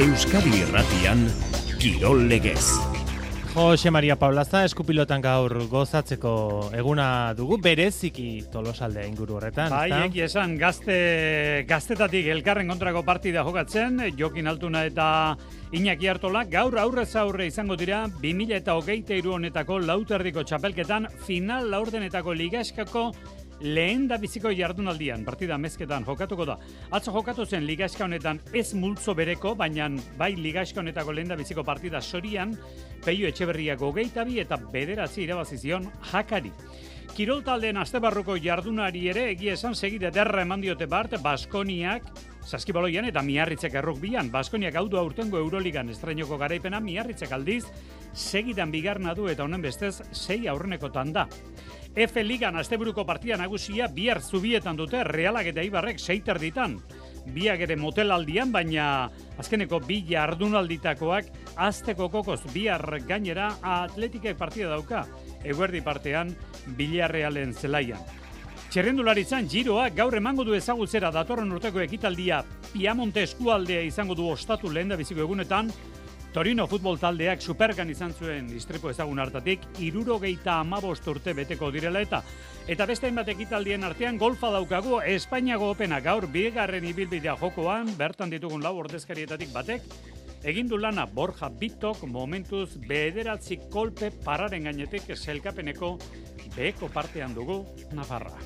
Euskadi Irratian, Kirol Legez. Jose Maria Paulaza, eskupilotan gaur gozatzeko eguna dugu, bereziki Tolosaldea inguru horretan. Bai, eki esan, gaztetatik elkarren kontrako partida jokatzen, Jokin Altuna eta Iñaki Artola, gaur aurrez aurre izango dira 2023 honetako lauterdiko txapelketan, final laurdenetako ligaskako lehen da biziko jardunaldian, partida mezketan jokatuko da. Atzo jokatu zen ligaska honetan ez multzo bereko, baina bai ligaska honetako lehen da biziko partida sorian, Peio Etxeberriak 22 eta 9 irabazi zion Jakari. Kirol taldeen astebarruko jardunari ere egia esan segide derra eman diote bart, Baskoniak saskibaloian eta Miarritzek errukbian. Baskoniak hau du aurtengo Euroligan estreinoko garaipena, Miarritzek aldiz segidan bigarna du eta honen bestez 6 aurrenekotan da. F Ligan asteburuko partida nagusia bihar Zubietan dute Realak eta Eibarrek 6 erditan. Biak ere motelaldian, baina azkeneko 2 jardunalditakoak asteko kokoz bihar gainera Atletikek partida dauka. Eguerdi partean Villarrealen zelaian. Txerrendularitzan Giroa gaur emango du ezagutzera datorren urteko ekitaldia Piamonte eskualdea izango du ostatu lehendabiziko egunetan. Torino futbol taldeak Supergan izan zuen istripu ezagun hartatik 75 urte beteko direla eta beste hainbat ekitaldien artean golfa daukagu Espainiako Opena gaur bigarren ibilbidea jokoan, bertan ditugun 4 ordezkarietatik batek egin du lana Borja Bitok momentuz 9 kolpe pararen gainetik selkapeneko beheko partean dugu Nafarra.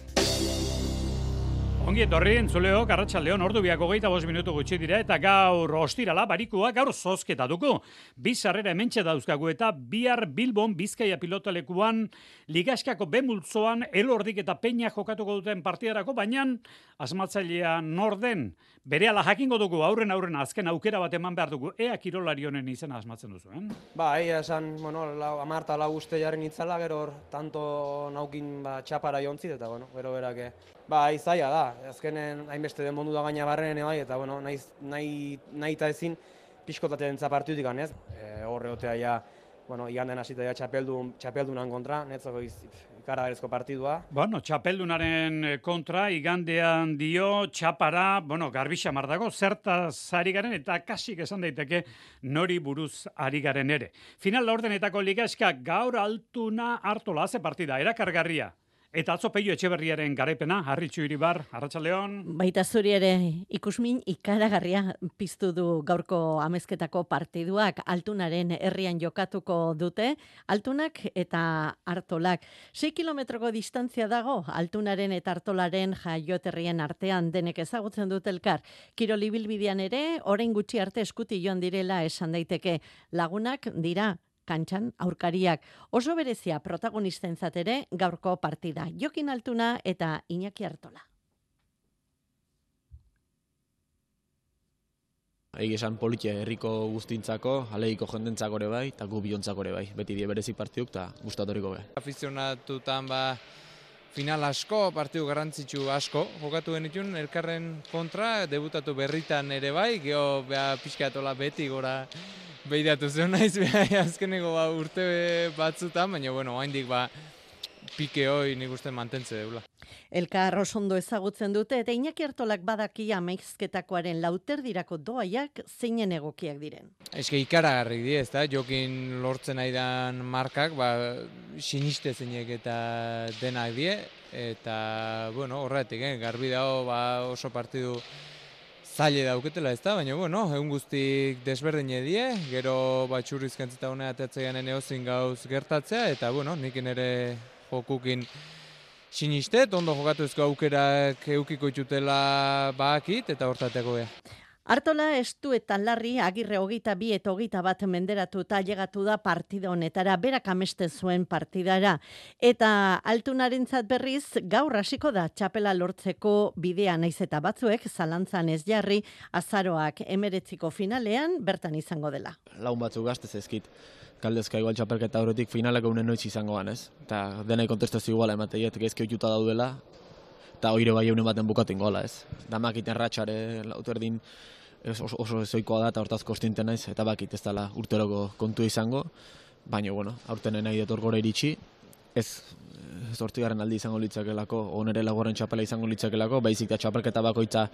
Ongi etorri, entzuleok, arratsaldeon, ordu biak 25 minutu gutxi dira, eta gaur ostirala barikua gaur zozketa dugu. 2 sarrera hementxe dauzkagu eta bihar Bilbon Bizkaia pilotalekuan ligaskako B-multzoan Elordik eta Peña jokatuko duten partidarako, baina asmatzailea nor den. Berehala jakingo dugu aurren azken aukera bat eman behar dugu. Ea kirolari honen izena asmatzen duzu, Ba, esan, 10 uste jarri nitzala, gero tanto naukin txapara jontzit, eta gero berake. Ba, izaia da, azkenen hainbeste den mondu da gaina barrenen bai, eta nahi eta ezin pixkotatzen zapartutik ganez. Horre otea ja, iganden hasita ja txapeldunan kontra, netzako ikaragarrizko partidua. Txapeldunaren kontra, igandean dio, txapara, garbixa mardago, zertaz ari garen eta kasik esan daiteke nori buruz ari garen ere. Final laurdenetako ligaska gaur Altuna Artola ze partida, erakargarria. Eta atzo Peio Etxeberriaren garaipena, Harritxu Iribar, arratsaldeon. Baita zuri ere ikusmin ikaragarria piztu du gaurko amezketako partiduak Altunaren herrian jokatuko dute. Altunak eta Artolak. 6 kilometroko distantzia dago Altunaren eta Artolaren jaioterrien artean denek ezagutzen dute elkar. Kirol ibilbidean ere, orain gutxi arte eskuti joan direla esan daiteke. Lagunak dira kantxan aurkariak. Oso berezia protagonistentzat ere gaurko partida. Jokin Altuna eta Iñaki Artola. Egi esan politia herriko guztintzako, aleiko jendentzako ere bai, eta gu biontzako ere bai. Beti die berezik partiduk eta gustatoriko bai. Afizionatutan final asko, partidu garrantzitsu asko, jokatu genitun elkarren kontra, debutatu berritan ere bai, geho pixkatola beti gora behiratu zen naiz, azkeneko urte batzutan, baina haindik pike hoi nik uste mantentze deula. Elkar osondo ezagutzen dute eta Iñaki Artolak badaki amezketakoaren lauterdirako doaiak zeinen egokiak diren. Eske ikaragarrik di, ezta? Jokin lortzen aidan markak, siniste zeinek eta denak die, eta horretik, garbi dago oso partidu zaile dauketela ez da, baina egun guztik desberdine die, gero txurrizkantzita honea ateatzean eneozin gauz gertatzea, eta nikin ere jokukin sinistet, ondo jokatuzko aukerak eukiko itxutela bakit, eta hortateko ea. Artola estu eta larri Agirre 22 eta 21 menderatuta llegatu da partida honetara, berak amesten zuen partidara. Eta Altunarentzat berriz gaur hasiko da txapela lortzeko bidea naiz eta batzuek zalantzan ez jarri azaroak 19ko finalean bertan izango dela. Laun batzuk gaztez ezkit. Kaldezka igual txapelketa horretik finalak eunen noiz izango ganez. Eta denai kontestazio iguala emateiet, gezke oituta daudela, eta oire bai eunen baten bukatu ingola ez. Damakiten ratxare lauterdin oso ezoikoa da eta hortaz kostinten naiz, eta bakit ez dela urteroko kontu izango, baina aurten nahi dut gora iritsi, ez 8. aldi izango litzakelako, onere laguaren txapela izango litzakelako, baizik da txapelketa bakoitza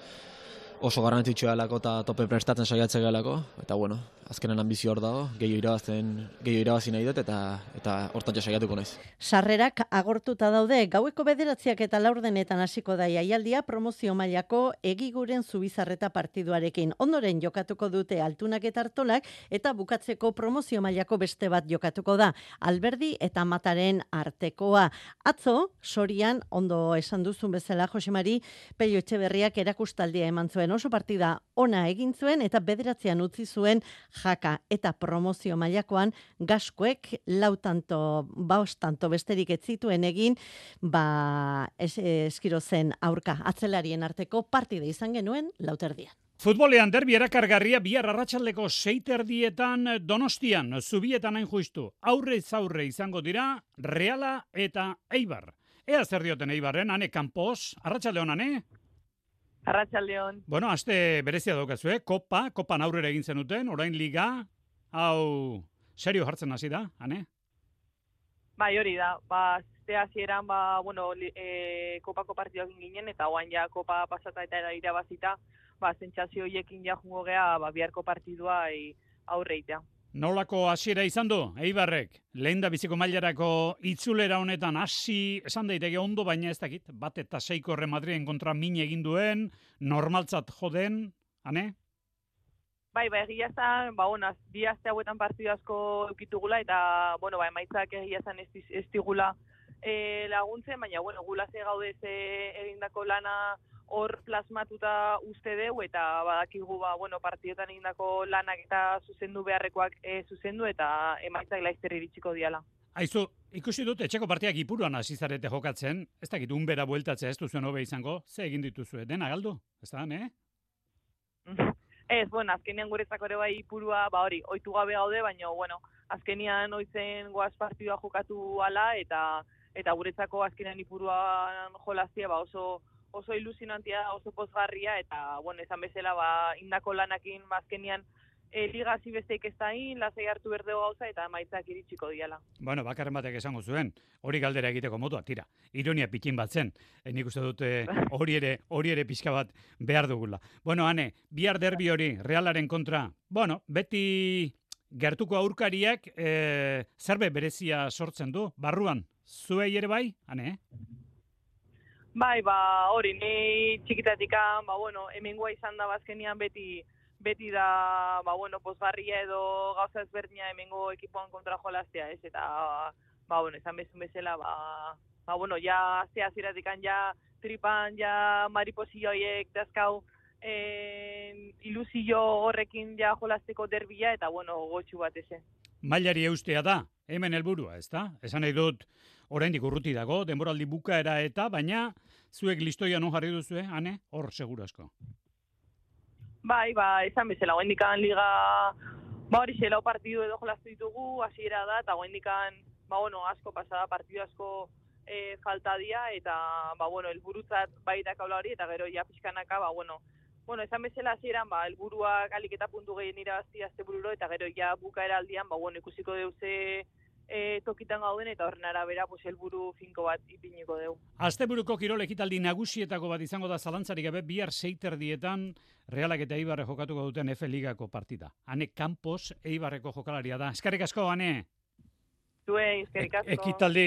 oso garrantzitsua delako eta tope prestatzen saiatzen gelako, eta bueno, azkenen ambizio hor dago, gehiago irabazi nahi dut eta hortantxe saiatuko naiz. Sarrerak agortuta daude, gaueko 9 eta 4 hasiko da jaialdia promozio mailako Egiguren Zubizarreta partiduarekin. Ondoren jokatuko dute Altunak eta Artolak eta bukatzeko promozio mailako beste bat jokatuko da, Alberdi eta Mataren artekoa. Atzo, Sorian, ondo esan duzun bezala, Josemari, Pello Etxeberriak erakustaldia eman zuen, oso partida ona egin zuen eta 9 utzi zuen Jaka eta promozio mailakoan Gaskoek 4 tanto besterik ez zituen egin, Eskiro zen aurka atzelarien arteko partida izan genuen 4:00. Futbolean derbi erakargarria bihar arratsaldeko 6:00 Donostian, Zubietan hain justu. Aurrez aurre izango dira Reala eta Eibar. Ea zer dioten Eibarren, ane kanpoz, arratsalde hon, ane? Arratsaldeon. Bueno, aste berezia daukazue, kopan aurrera egin zenuten, orain liga, hau serio jartzen hasi da, ane? Bai, hori da. Aste hasieran kopako partidoak ginen eta orain ja kopa pasata eta irabazita, sentsazio horiekin ja jungo gea biharko partidua aurreitea. Nolako hasiera izan du, Eibarrek? Lehen da biziko mailarako itzulera honetan hasi esan daiteke ondo, baina ez dakit, 1-6 Real Madriden kontra min egin duen, normaltzat joden, ane? Bai, egia esan, bi aste hauetan partidu asko eukitugula eta, emaitzak egia esan ez digula laguntzen, baina, gulase gaude egindako lana hor plasmatuta uste deu eta badakigu partidotan egindako lanak eta zuzendu beharrekoak zuzendu eta emaitzak laizter iritsiko diala. Aizu, ikusi dut etxeko partiak Ipuruan hasi zarete jokatzen, ez dakit unbera bueltatzea ez duzuen hobe izango, ze egin dituzue, dena galdu, ez da, ne? Ez, azkenean guretzako ere bai Ipurua, ohitu gabe gaude, baina, azkenean oitzen goaz partidua jokatu ala eta guretzako azkenean Ipuruan jolazia oso ilusionantia, oso pozgarria, eta, esan bezala, indako lanakin, azkenian, liga hasi besteik ez dain, lasai hartu berdego gauza, eta emaitzak iritsiko diala. Bakarren batek esango zuen, hori galdera egiteko motua, tira, ironia pikin bat zen, nik uste dute hori ere pixka bat behar dugula. Ane, bihar derbi hori, Realaren kontra, beti gertuko aurkariak zerbe berezia sortzen du, barruan, zuei ere bai, ane, Bai, hori, ni txikitatikan, hemengoa izan da bazkenian beti da, pozgarria edo gauza ezberdina hemengo ekipoan kontra jolaztea, ez? Eta, esan bezala, ja, hasieratik ja, tripan, ja, mariposilloiek, dazkau, ilusio horrekin ja jolazteko derbila, eta, gotxu bat eze. Mailari eustea da, hemen helburua, ez da? Esan nahi dut, oraindik urruti dago, denboraldi bukaera baina zuek listoia non jarri duzue, ane? Hor, seguru asko. Bai, esan bezala, goendikan liga, hori xelau partidu edo jolaztu ditugu, hasiera da, eta goendikan, asko pasada, partidu asko falta dia, eta, helburutzat baita kaula hori, eta gero ja pixkanaka, esan bezala hasieran, helburuak alik eta puntu gehien irabazi astebururo, eta gero ja bukaera aldian, ikusiko deuze tokitan gauden eta horren arabera helburu finko bat ipiniko dugu. Asteburuko kirol ekitaldi nagusietako bat izango da zalantzarik gabe bihar 6:00 Realak eta Eibarre jokatuko duten F Ligako partida. Ane Campos Eibarreko jokalaria da. Eskerrik asko, Ane. Eskerrik asko.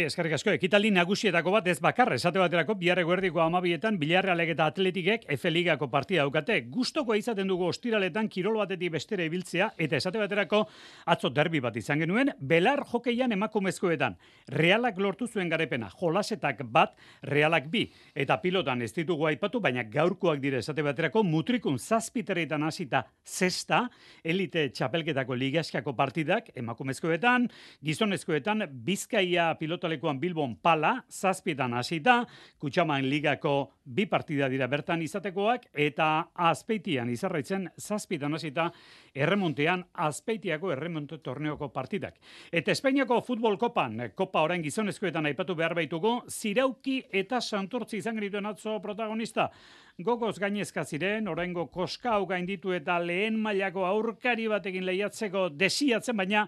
Eskerrik asko. Ekitaldi nagusietako bat ez bakar, esate baterako bihar eguerdiko 12etan Villarrealek eta Atletikek F Ligako partida daukate. Gustokoa izaten dugu ostiraletan kirol batetik bestera ibiltzea eta esate baterako atzo derbi bat izan genuen belar hokeian emakumezkoetan. Realak lortu zuen garepena, jolasetak bat, Realak 2 eta pilotan ez ditugu aipatu, baina gaurkoak dire esate baterako mutrikun 7 hasita 6 elite txapelketako ligaskako partidak emakumezkoetan, gizonezkoetan Bizkaia pilotalekuan Bilbon pala, 7 hasita, Kutxaman ligako 2 partida dira bertan izatekoak, eta Azpeitian izarraitzen 7 hasita, erremontean Azpeitiako erremonte torneoko partidak. Eta Espainiako futbol kopan, kopa orain gizonezkoetan aipatu behar baitugu, Zirauki eta Santurtzi izan genituen atzo protagonista. Gogoz gainezka ziren, oraingo koska hau gainditu eta lehen mailako aurkari batekin lehiatzeko desiatzen, baina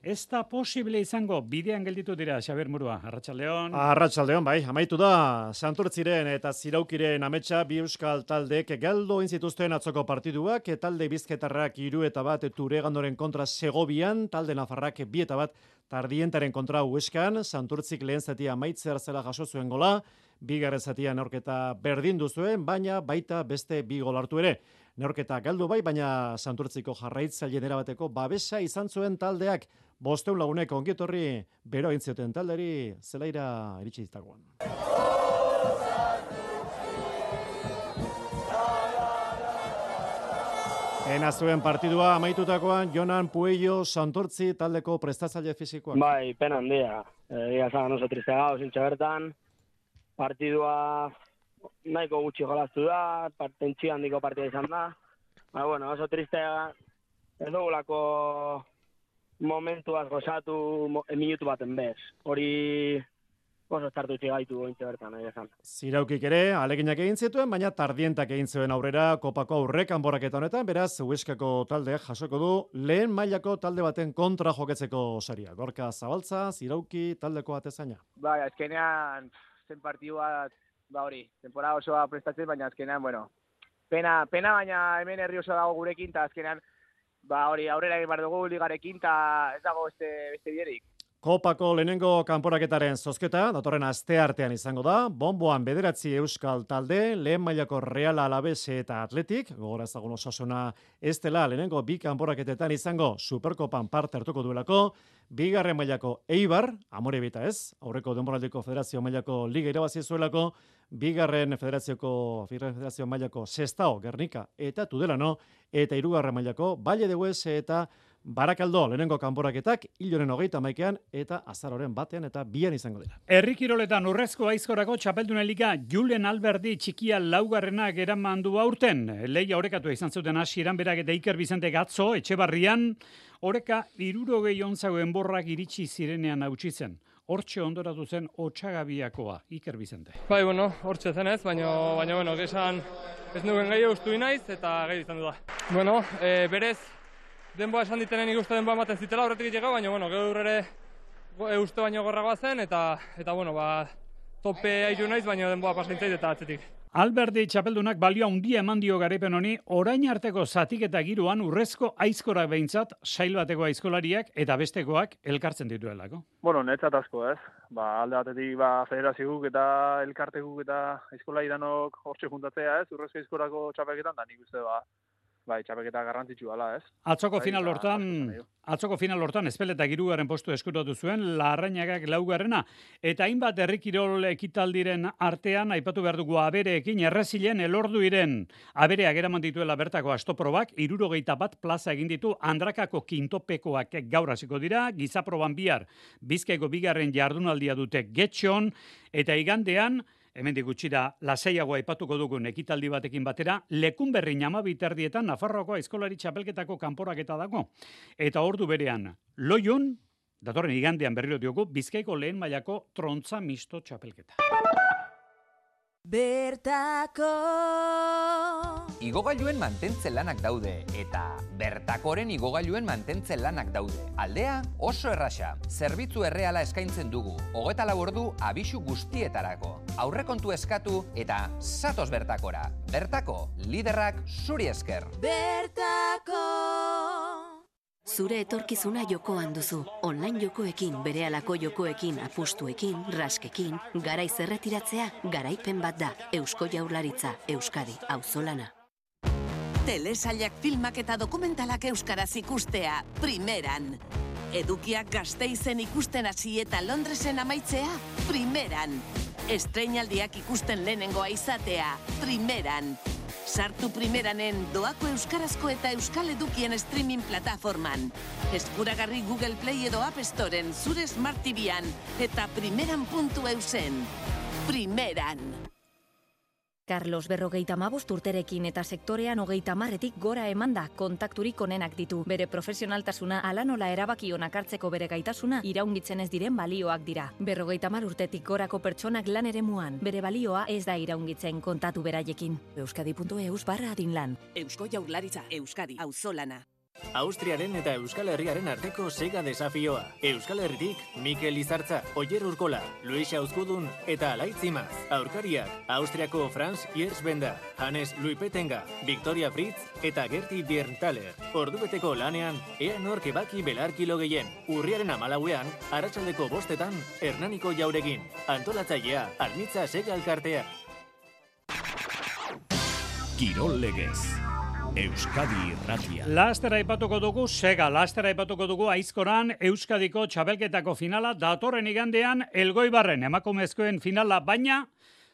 ez da posible izango, bidean gelditu dira, Xabier Murua, Arratsaldeon. Arratsaldeon, bai, amaitu da, Santurtziren eta Ziraukiren ametsa bi euskal taldeek galdu egin zituzten atzoko partiduak, talde bizkaitarrak 3-1 Turegandoren kontra Segovian, talde nafarrak 2-1 Tardientaren kontra Huescan, Santurtzik lehen zatia amaitzear zela jaso zuen gola, bigarren zatia neorketa berdindu zuen, baina baita beste 2 gol hartu ere. Neorketa galdu bai, baina Santurtziko jarraitzaileen erabateko babesa izan zuen taldeak, 500 lagunek ongietorri bero egin zioten talderi zelaira iritsi zitagoan. Ena zuen partidua amaitutakoan Jonan Puello Santurtzi taldeko prestatzaile fisikoak. Bai, pena handia. Egia esan oso triste gau, zintxe bertan. Partidua nahiko gutxi jolaztu da, tentsio handiko partida izan da. Bueno, oso triste ez dugulako momentuaz gozatu minutu baten bez. Hori oso estartutzi gaitu zintxe bertan, egia esan. Ziraukik ere, aleginak egin zituen, baina Tardientak egin zuen aurrera kopako aurrek kanporaketa honetan, beraz, Huescako taldeak jasoko du lehen mailako talde baten kontra joketzeko saria. Gorka Zabaltza, Zirauki taldeko atezaina. Bai, azkenean zen partidu bat, hori, temporada osoa prestatzen, baina azkenean, pena, baina hemen herri oso dago gurekin, eta azkenean, hori, aurrera egin bar dugu ligarekin, eta ez dago beste biderik. Kopako lehenengo kanporaketaren zozketa, datorren asteartean izango da, bonboan 9 euskal talde, lehen mailako Real Alaves eta Atletik, gogora ezagun Osasuna ez dela lehenengo 2 kanporaketetan izango Superkopan parte hartuko duelako, bigarren mailako Eibar, Amorebita ez, aurreko denboraldiko federazio mailako liga irabazi zuelako, bigarren federazio mailako Sestao, Gernika eta Tudelano, eta 3. mailako Valle de Hues eta Barakaldo, lehenengo kanporaketak, hiloren 31 eta azaroren 1 eta 2 izango dira. Herri kiroletan urrezko aizkorako txapeldunen liga Julen Alberdi txikia laugarrenak eraman du aurten. Leia orekatu izan zuten hasieran berak eta Iker Bizente Gatzo, Etxebarrian, oreka 60 ontzago enborrak iritsi zirenean hautsi zen. Hortxe ondoratu zen Otsagabiakoa, Iker Bizente. Bai, hortxe zen ez, baina, gesan ez nuken gai ustu inaiz eta gai izan du da. Berez, denboa esan ditenen ikuste denboa ematen zitela horretik itxega, baina, gaur ere uste baino gorragoa zen, eta tope aizu naiz, baina denboa pasaintzait eta atzetik. Alberdi txapeldunak balioa handia eman dio garaipen honi, orain arteko zatik eta giroan urrezko aizkorak behintzat, sail bateko aizkolariak eta bestekoak elkartzen dituelako. Netzat asko ez. Alde batetik federazioak eta elkartekuk eta aizkolari danok hortxe juntatzea ez, urrezko aizkorako txapelketan, da nik uste txapelketa garrantzitsu dela, ez? Atzoko final hortan Ezpeleta 3. postu eskuratu zuen, Larrañagak 4. eta hainbat herrikirol ekitaldiren artean aipatu behar dugu Abereekin errezilen Elorduiren Abereak eraman dituela bertako astoprobak, 61 plaza egin ditu, Andrakako kintopekoak gaur hasiko dira, Gizaproban bihar Bizkaiko 2. jardunaldia dute Getxon, eta igandean hemendik gutxira lasaiagoa aipatuko dugun ekitaldi batekin batera, Lekunberri 12 Nafarroako aizkolari txapelketako kanporaketa dago. Eta ordu berean, Loiun, datorren igandean berriro diogu, Bizkaiko lehen mailako trontza misto txapelketa. Bertako Igogailuen mantentze lanak daude, eta bertakoren igogailuen mantentze lanak daude. Aldea oso erraxa, zerbitzu erreala eskaintzen dugu, 24 ordu abisu guztietarako. Aurrekontu eskatu eta zatoz bertakora. Bertako, liderrak zuri esker. Bertako Zure etorkizuna jokoan duzu. Online jokoekin, berehalako jokoekin, apustuekin, raskekin, garaiz erretiratzea, garaipen bat da. Eusko Jaurlaritza, Euskadi, auzolana. Telesailak filmak eta dokumentalak euskaraz ikustea, primeran. Edukiak Gasteizen ikusten hasi eta Londresen amaitzea, primeran. Estreinaldiak ikusten lehenengoa izatea, primeran. Sartu primeranen doako euskarazko eta euskal edukien streaming plataforman. Eskuragarri Google Play edo App Storen zure Smart TV-an eta primeran.eusen. Primeran. Carlos 55 urterekin eta sektorean 30etik gora emanda kontakturik onenak ditu. Bere profesionaltasuna ala nola erabaki onak hartzeko bere gaitasuna iraungitzen ez diren balioak dira. 50 urtetik gorako pertsonak lan eremuan. Bere balioa ez da iraungitzen, kontatu beraiekin. Euskadi.eus/adinlan. Eusko Jaurlaritza, Euskadi, auzolana. Austriaren eta Euskal Herriaren arteko sega desafioa. Euskal Herritik Mikel Izartza, Oier Urkola, Luis Auzkudun eta Alaitz Imaz. Aurkariak Austriako Franz Hiersbenda, Hannes Luipetenga, Victoria Fritz eta Gerti Bierntaler. Ordubeteko lanean, ea nork ebaki belarkilo gehien. Urriaren 14ean, arratsaldeko 5etan, Hernaniko Jaurekin. Antolatzailea, Almitza Sega Elkartea. Kirol Legez. Euskadi Irratia. Lastera aipatuko dugu Sega, lastera aipatuko dugu Aizkoran Euskadiko txapelketako finala datorren igandean Elgoibarren emakumezkoen finala, baina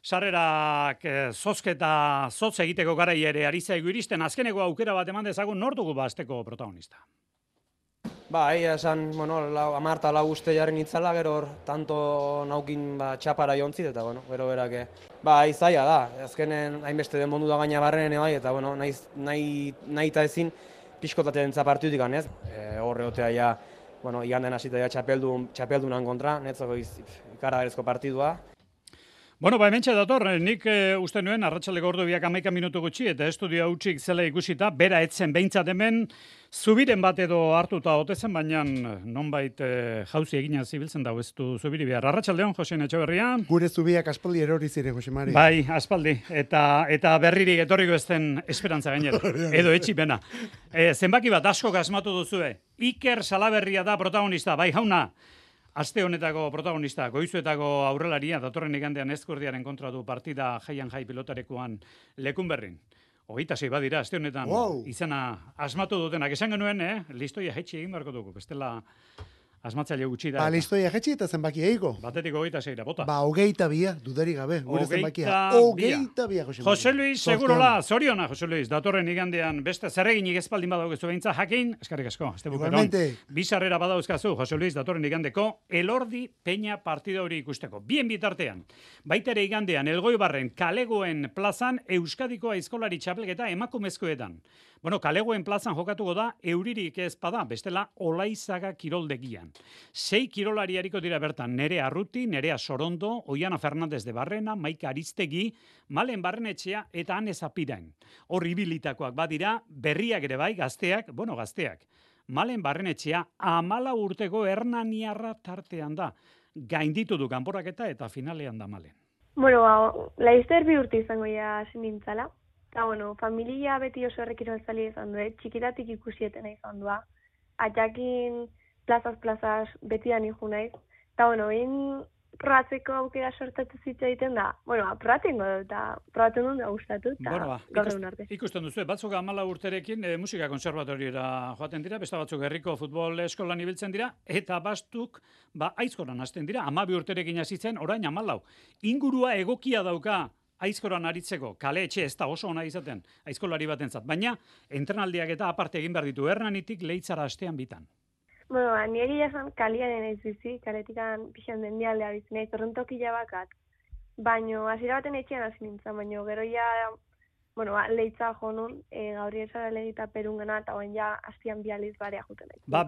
sarrerak zotz egiteko garai ere ari zaigu iristen. Azkeneko aukera bat eman dezagun, nor dugu asteko protagonista? Egia esan, 10 uste jarri nitzala, gero tanto naukin txapara jontzit, eta gero berak, zaila da, azkenen hainbeste den mondu da gaina barrenen, eta nahi eta ezin pixkotatea dentza partidutik ganez. Horre otea ja, iganden hasita ja txapeldunan kontra, netzako ikaragarrizko partidua. Hementxe dator, nik uste nuen arratsaldeko ordu 11 minutu gutxi eta estudio hutsik zela ikusita, bera etzen behintzat hemen, zubiren bat edo hartuta otezen, baina nonbait jauzi egina zibiltzen dago ez du zubiri behar. Arratsaldeon, Josein Etxeberria. Gure zubiak aspaldi erori ziren, Jose Mari. Bai, aspaldi, eta berririk etorriko ez den esperantza gainera, edo etxipena. Zenbaki bat asko asmatu duzue, Iker Salaberria da protagonista, bai jauna. Aste honetako protagonista, Goizuetako aurrelaria, datorren igandean Ezkurdiaren kontra du partida jaian jai pilotarekoan Lekunberrin. 26 badira, aste honetan izena asmatu dutenak. Esan genuen, listoia jetxi egin beharko dugu, bestela asmatzaile gutxi da. Listoia jetxi eta zenbaki eiko. Batetik 26, bota. 22, dudarik gabe, gure zenbakia. 22, Jose Mari. Jose Luis, segurola, zoriona, Jose Luis, datorren igandean beste zerreginik ezpaldin badaukezu behintza, jakin, eskarrik asko, este bukeron. Bizarrera badauzkazu, Jose Luis, datorren igandeko, Elordi Peña partida hori ikusteko. Bien bitartean, baitere igandean, Elgoibarren Kalegoen plazan, Euskadiko aizkolari txapelketa emakumezkoetan. Kalegoen plazan jokatuko da, euririk ez bada, bestela Olaizaga kiroldegian. 6 kirolari hariko dira bertan, Nerea Arruti, Nerea Sorondo, Oiana Fernandez de Barrena, Maika Aristegi, Malen Barrenetxea eta Ane Zapirain. Hor ibilitakoak badira, berriak ere bai, gazteak. Malen Barrenetxea 14 urteko Hernaniarra tartean da. Gainditu du kanporaketa eta finalean da Malen. Laizter 2 urte izango ja sinintzala. Eta, familia beti oso errekirolzali izan du, txikitatik ikusietena izan du. Atxakin plazaz betian iju naiz. Eta, probatzeko aukera sortatu zitza egiten da. Probatzen dut, eta probatzen dut da gustatu, eta gaur egun arte. Ikusten duzu, batzuk 14 urterekin musika konservatoriora joaten dira, beste batzuk herriko futbol eskolan ibiltzen dira, eta bastuk Aizkoran hasten dira, 12 urterekin hasitzen, orain 14. Ingurua egokia dauka Aizkoran aritzeko, kale etxe ez da oso ona izaten, aizkolari batentzat, baina entrenaldiak eta aparte egin behar ditu Hernanitik Leitzara astean bitan. Nire jasan kaliaren ez bizi, kaletikan pixan dendialdea bizi nahi, torrentokila bakat. Baina, hasiera baten etxean hasi nintzen, baina gero ja, Leitza jo nun, gauri esara legita perungana, eta baina ja, hastian bializ barea juten nahi.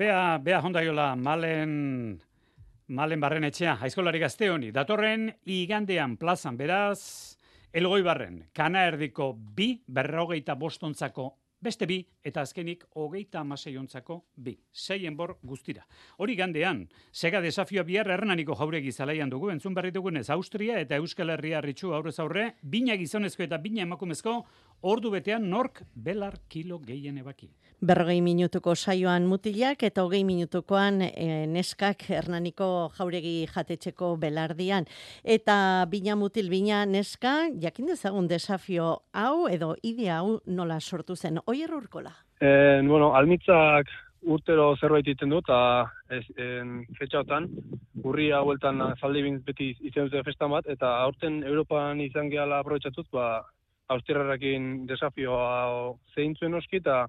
Bea jondaiola, Malen Barrenetxea, aizkolari gazte honi, datorren igandean plazan, beraz, Elgoibarren, Kanaerdiko 2, 45 ontzako beste 2, eta azkenik 36 ontzako 2. 6 enbor guztira. Hori gandean, Sega desafioa bihar Hernaniko Jauregi zelaian dugu, entzun berri dugunez Austria eta Euskal Herria ritxu aurrez aurre, bina gizonezko eta bina emakumezko, ordu betean nork belar kilo gehien ebaki. 40 minutuko saioan mutilak eta 20 minutukoan neskak Hernaniko Jauregi jatetxeko belardian. Eta bina mutil, bina neska, jakin dezagun desafio hau edo idea hau nola sortu zen. Oier Urkola. Almitzak urtero zerbait egiten du, eta fetxautan, urria bueltan zaldibin beti izan dute festan bat, eta aurten Europan izan gehala aprobetxatuz, Austriarrarekin desafioa zehintzuen oski, eta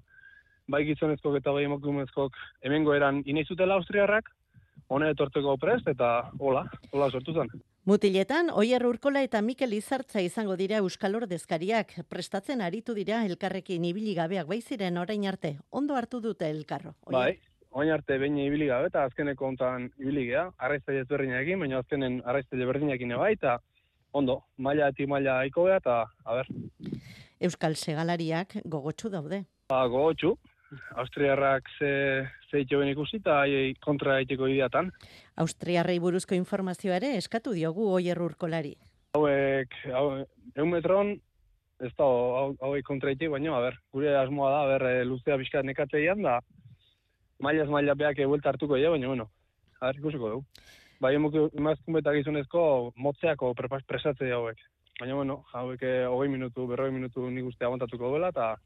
bai gizonezkok eta bai emakumezkok hemengo eran inaizutela Austriarrak, hone etortzeko prest, eta hola sortu zen. Mutiletan, Oier Urkola eta Mikel Izartza izango dira Euskal Ordezkariak, prestatzen aritu dira elkarrekin ibili gabeak baiziren orain arte, ondo hartu dute elkarro. Bai, orain arte behin ibili gabe, eta azkeneko hontan ibili gea, arraiztaile ezberdinekin, baina azkenen arraiztaile berdinekin bai, eta ondo, maila aiko gea, eta, Euskal segalariak gogotsu daude. Gogotsu, Austriarrak ze joven ikusi eta haiei kontra egiteko ideatan. Austriarrei buruzko informazioa ere eskatu diogu Oier Urkolari. Hauek, 100 metron, ez da, hauek kontra egiteko, baina, gure asmoa da, luzea bizkat nekateian, da, maila beak buelta hartuko ja, baina, bueno, ikusiko dugu. Bai, emazkun eta gizonezko motzeako presatze hauek. Baina, bueno, hauek 40 minutu nik uste aguantatuko duela, eta,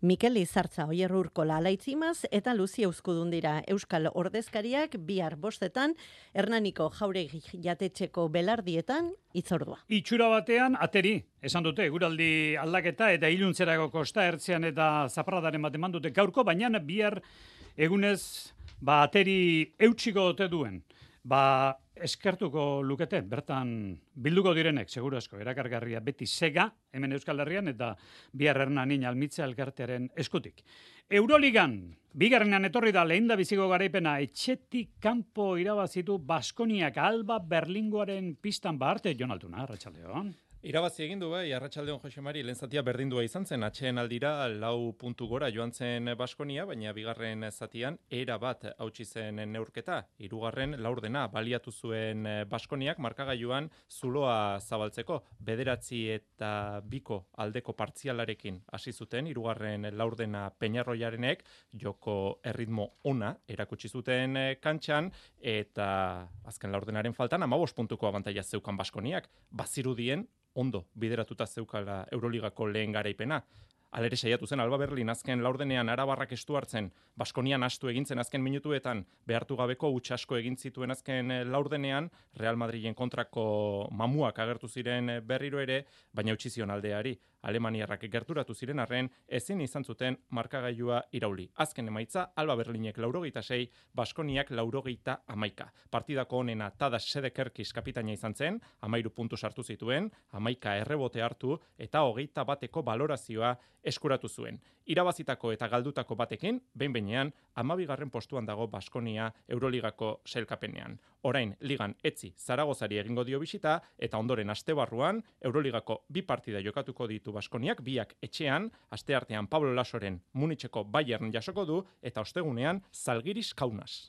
Mikel Izartza, Oier Urkola alaitzimaz eta Luzi Euskudun dira Euskal Ordezkariak bihar 5:00 Hernaniko Jauregi jatetxeko belardietan hitzordua. Itxura batean ateri, esan dute, eguraldi aldaketa eta iluntzerako Kosta Ertzean eta Zaparradaren bat eman dute gaurko, baina bihar egunez ateri eutxiko ote duen. Eskertuko lukete, bertan bilduko direnek, seguru asko, erakargarria beti sega, hemen Euskal Herrian, eta bihar Hernanin Almitza elkartearen eskutik. Euroligan, bigarrenean etorri da lehendabiziko garaipena, etxetik kanpo irabazitu Baskoniak Alba Berlingoaren pistan arte, Jon Altuna, arratsaldeon. Irabazi egin du bai, arratsaldeon Jose Mari, lehen zatia berdindua izan zen, atxeen aldira 4 puntu gora joan zen Baskonia, baina bigarren zatian era bat hautsi zen neurketa. Hirugarren laurdena baliatu zuen Baskoniak markagailuan zuloa zabaltzeko. 9-2 aldeko partzialarekin hasi zuten, hirugarren laurdena Peñarroiarenek joko erritmo ona erakutsi zuten kantxan, eta azken laurdenaren faltan 15 puntuko abantaila zeukan Baskoniak, bazirudien ondo bideratuta zeukala Euroligako lehen garaipena. Alere saiatu zen Alba Berlin azken laurdenean arabarrak estu hartzen, Baskonian astu egintzen azken minutuetan, behartu gabeko huts asko egin zituen azken laurdenean, Real Madrilen kontrako mamuak agertu ziren berriro ere, baina utzi zion aldeari. Alemaniarrak gerturatu ziren arren, ezin izan zuten markagailua irauli. Azken emaitza, Alba Berlinek 86, Baskoniak 91. Partidako onena Tadas Sedekerkis kapitaina izan zen, 13 puntu sartu zituen, 11 errebote hartu, eta 21 balorazioa eskuratu zuen. Irabazitako eta galdutako batekin, behin-behinean, 12. postuan dago Baskonia Euroligako sailkapenean. Orain, ligan etzi Zaragozari egingo dio bisita, eta ondoren astebarruan, Euroligako 2 partida jokatuko ditu Baskoniak, biak etxean, asteartean Pablo Lasoren Munitzeko Bayern jasoko du, eta ostegunean Zalgiris Kaunas.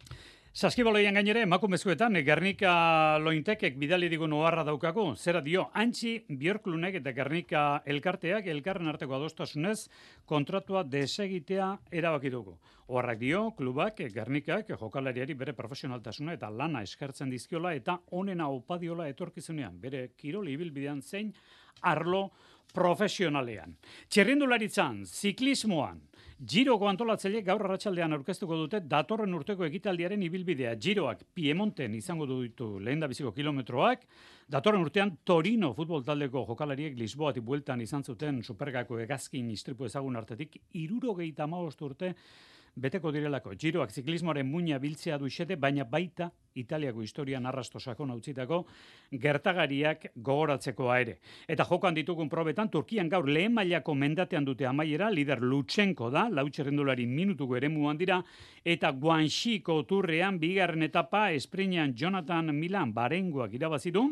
Saskibaloian gainere, emakumezkoetan, Gernika Lointekek bidali digun oharra daukagu. Zera dio, Antxi Björklunek eta Gernika elkarteak elkarren arteko adostasunez kontratua desegitea erabaki dugu. Oharrak dio, klubak, Gernikak, jokalariari bere profesionaltasuna eta lana eskertzen dizkiola eta onena opadiola etorkizunean, bere kirol ibilbidean zein arlo profesionalean. Txirrindularitzan, ziklismoan, Giroko antolatzaileek gaur arratsaldean aurkeztuko dute datorren urteko ekitaldiaren ibilbidea. Giroak Piemonten izango ditu lehendabiziko kilometroak, datorren urtean Torino futbol taldeko jokalariek Lisboatik bueltan izan zuten supergako hegazkin istripu ezagun artetik 75 urte beteko direlako. Giroak ziklismoaren muina biltzea du xede, baina baita Italiako historian arrasto sakon utzitako gertagariak gogoratzekoa ere. Eta jokoan ditugun probetan, Turkian gaur lehen mailako mendatean dute amaiera, lider Lutsenko da, lau txirrindulari minutuko eremuan dira, eta Guanxiko turrean bigarren etapa esprinean Jonathan Milan barengoak irabazidu,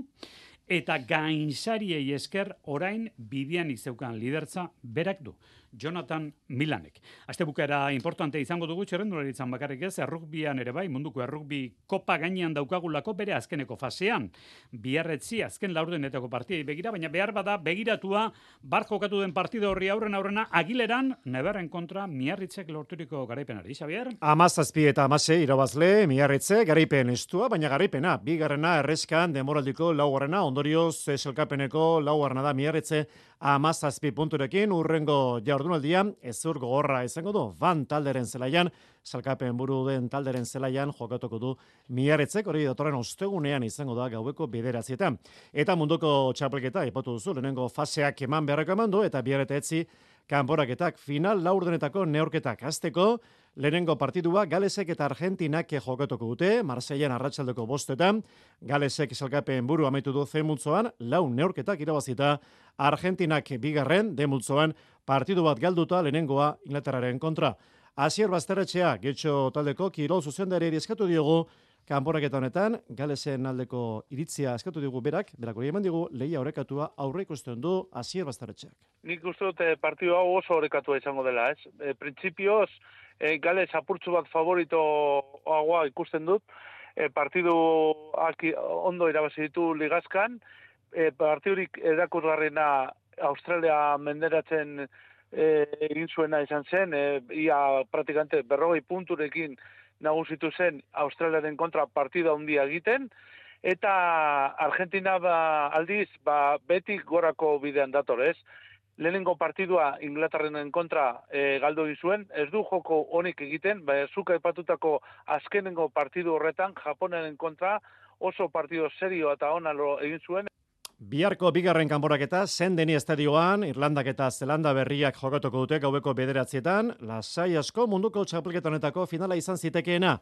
eta gainsariei esker orain bidean izeukan lidertza berak du, Jonathan Milanek. Astebukaera importante izango dugu txirrendularitzan bakarrik ez, errugbian ere bai, munduko errugbi kopa gainean daukagulako bere azkeneko fasean. Biarretzi azken laurdenetako partidei begira, baina behar bada begiratua bar jokatu den partida horri aurrena Agileran, Neberren kontra Miarritzek lorturiko garaipenari. Xabier? 17 eta 16 irabazle Miarritze garaipen estua, baina garaipena bigarrena erreskan demoraldiko laugarrena, ondorioz selkapeneko laugarrena da Miarritze 17 punturekin, urrengo jardunaldia ezur gogorra izango du Van talderen zelaian, salkapen buru den talderen zelaian jokatuko du Miarritzek, hori datorren ostegunean izango da gaueko 9:00. Eta munduko txapelketa aipatu duzu, lehenengo faseak eman beharreko eman du, eta Biarreta etzi kanporaketak final laurdenetako neurketak hasteko. Lehenengo partidua Galesek eta Argentinak jokatuko dute, Marseilan arratsaldeko 5:00. Galesek salkapen buru amaitu du zemultzoan, 4 neurketak irabazita, Argentinak bigarren, demultzoan partidu bat galduta lehenengoa Inglaterraren kontra. Asier Basterretxea, Getxo taldeko kirol zuzendariari eskatu diogu, Kanporaketa honetan, Galesen aldeko iritzia eskatu digu berak hori eman digu lehia orekatua aurre ikusten du Asier Basterretxeak. Nik uste dut partidu hau oso orekatua izango dela, ez? Printzipioz, Gales apurtzu bat favoritoagoa ikusten dut, partiduak ondo irabazi ditu ligazkan, partidurik erakusgarriena Australia menderatzen egin zuena izan zen, ia praktikante 40 punturekin nagusitu zen Australiaren kontra partida handia egiten, eta Argentina aldiz betik gorako bidean dator, ez? Lehenengo partidua Inglaterraren kontra galdu egin zuen, ez du joko honik egiten, zuk aipatutako azkenengo partidu horretan Japonaren kontra oso partidu serio eta ona egin zuen. Biharko bigarren kanporaketa Sendeni estadioan, Irlandak eta Zelanda berriak jokatuko dute gaueko 9:00, lasai asko munduko txapelketa honetako finala izan zitekeena.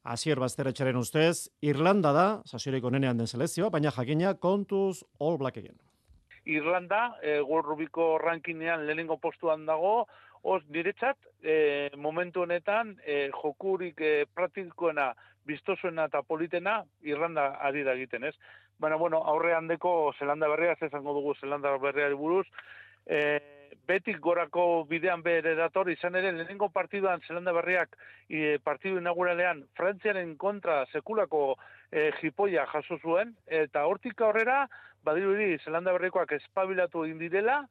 Asier Basterretxearen ustez, Irlanda da, sasiorik onenean den selekzioa, baina jakina kontuz All Blackegen. Irlanda, World Rugbyko rankinean lehenengo postuan dago, niretzat, momentu honetan, jokurik praktikoena, biztosuena eta politena, Irlanda ari da egiten, ez? Baina, aurrean deko Zelanda berria, ez izango dugu Zelanda berriari buruz, betik gorako bidean bere dator, izan ere, lehenengo partiduan Zelanda berriak partidu inauguralean Frantziaren kontra sekulako jipoia jaso zuen, eta hortik aurrera, badirudi Zelanda berrikoak espabilatu egin direla,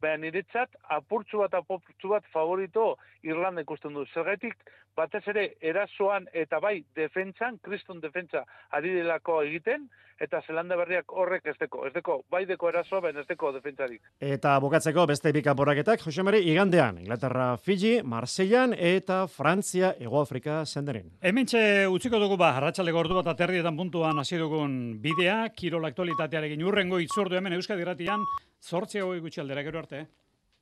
baina niretzat apurtzu bat favorito Irlanda ikusten du. Zergatik batez ere erasoan eta bai defentsan, kriston defentsa ari delako egiten, eta Zelanda berriak horrek ez deko, bai deko erasoa, baina ez deko defentsarik. Eta bukatzeko beste bi kanporaketak, Jose Mari, igandean, Inglaterra Fiji, Marseillan eta Frantzia Hego Afrika Senderen. Hementxe utziko dugu arratsaldeko ordu bat aterrietan puntuan hasi dugun bidea, kirol aktualitatearekin urrengo itzordu hemen Euskadi Irratian, 8 gutxi aldera gero arte.